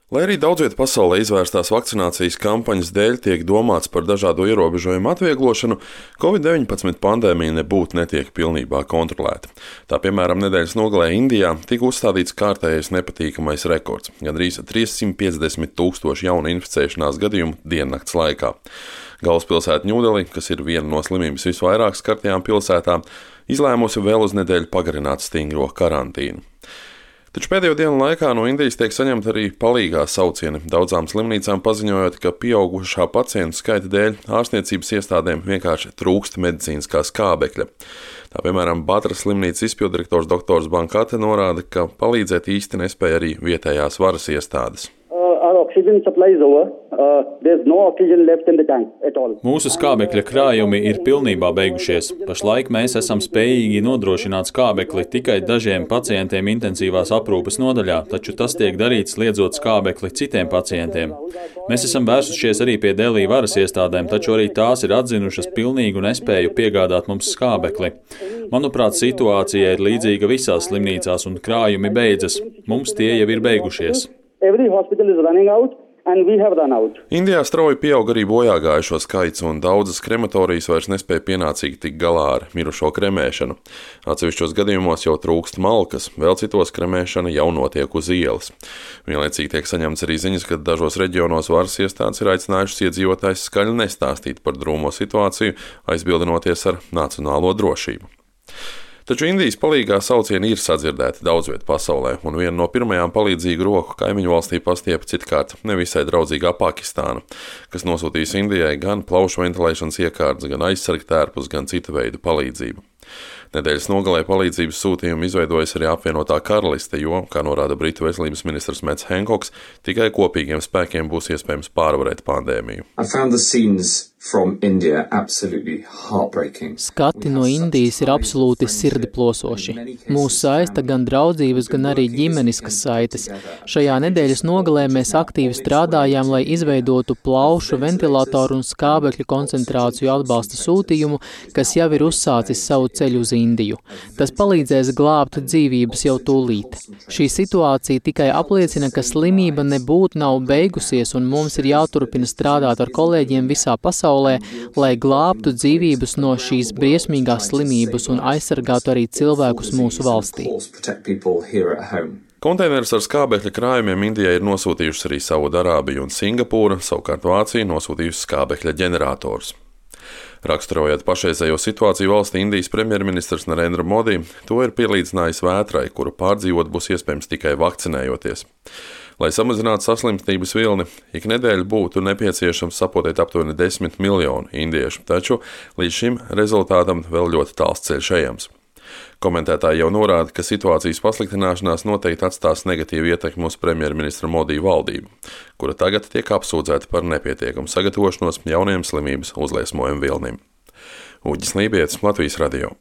Lai arī daudz vietā pasaulē izvērstās vakcinācijas kampaņas dēļ tiek domāts par dažādu ierobežojumu atvieglošanu, Covid-19 pandēmija nebūtu netiek pilnībā kontrolēta. Tā piemēram, nedēļas nogalē Indijā tika uzstādīts kārtējais nepatīkamais rekords - gandrīz 350 000 jaunu inficēšanās gadījumu diennakts laikā. Galvaspilsēta Ņūdelī, kas ir viena no slimības visvairāk skartajām pilsētām, izlēmusi vēl uz nedēļu pagarināt stingro karantīnu. Taču pēdējo dienu laikā no Indijas tiek saņemta arī palīgā saucieni, daudzām slimnīcām paziņojot, ka pieaugušā pacientu skaita dēļ ārstniecības iestādēm vienkārši trūkst medicīniskā skābekļa. Tā piemēram, Batras slimnīcas izpilddirektors dr. Bankate norāda, ka palīdzēt īsti nespēja arī vietējās varas iestādes. Mūsu skābekļa krājumi ir pilnībā beigušies. Pašlaik mēs esam spējīgi nodrošināt skābekli tikai dažiem pacientiem intensīvās aprūpes nodaļā, taču tas tiek darīts liedzot skābekli citiem pacientiem. Mēs esam vērsušies arī pie Delī varas iestādēm, taču arī tās ir atzinušas pilnīgu nespēju piegādāt mums skābekli. Manuprāt, situācija ir līdzīga visās slimnīcās un krājumi beidzas. Mums tie jau ir beigušies. Indijā strauji pieaug arī bojāgājušo skaits, un daudzas krematorijas vairs nespēja pienācīgi tikt galā ar mirušo kremēšanu. Atsevišķos gadījumos jau trūkst malkas, vēl citos kremēšana jau notiek uz ielas. Vienlaicīgi tiek saņemts arī ziņas, ka dažos reģionos varas iestādes ir aicinājušas iedzīvotājus skaļi nestāstīt par drūmo situāciju, aizbildinoties ar nacionālo drošību. Taču Indijas palīgā saucieni ir sadzirdēti daudz vietā pasaulē, un viena no pirmajām palīdzīgu roku kaimiņu valstī pastiepa citkārt nevisai draudzīgā Pakistāna, kas nosūtīs Indijai gan plaušu ventilēšanas iekārtas, gan aizsargtērpus, gan citu veidu palīdzību. Nedēļas nogalē palīdzības sūtījumu izveidojas arī apvienotā karaliste, jo, kā norāda Britu veselības ministrs Mets Henkoks, tikai kopīgiem spēkiem būs iespējams pārvarēt pandēmiju. Skati no Indijas ir absolūti sirdi plosoši. Mūs saista gan draudzības, gan arī ģimeniskas saites. Šajā nedēļas nogalē mēs aktīvi strādājām, lai izveidotu plaušu, ventilatoru un skābekļa koncentrāciju atbalsta sūtījumu, kas jau ir uzsācis savu ceļu uz Indiju. Tas palīdzēs glābt dzīvības jau tūlīt. Šī situācija tikai apliecina, ka slimība nebūtu nav beigusies, un mums ir jāturpina strādāt ar kolēģiem visā pasaulē, lai glābtu dzīvības no šīs briesmīgās slimības un aizsargātu arī cilvēkus mūsu valstī. Konteinerus ar skābekļa krājumiem Indijai ir nosūtījušas arī Saudarābija un Singapūra, savukārt Vācija nosūtījusi skābekļa ģeneratorus. Raksturojot pašreizējo situāciju valstī, Indijas premjerministrs Narendra Modi to ir pielīdzinājis vētrai, kuru pārdzīvot būs iespējams tikai vakcinējoties. Lai samazinātu saslimstības vilni, ik nedēļu būtu nepieciešams sapotēt aptuveni 10 miljonu indiešu, taču līdz šim rezultātam vēl ļoti tāls ceļš ejams. Komentētāji jau norāda, ka situācijas pasliktināšanās noteikti atstās negatīvu ietekmi uz premjerministra Modi valdību, kura tagad tiek apsūdzēta par nepietiekumu sagatavošanos jauniem slimības uzliesmojumu vilnim. Uģis Lībietis, Latvijas radio.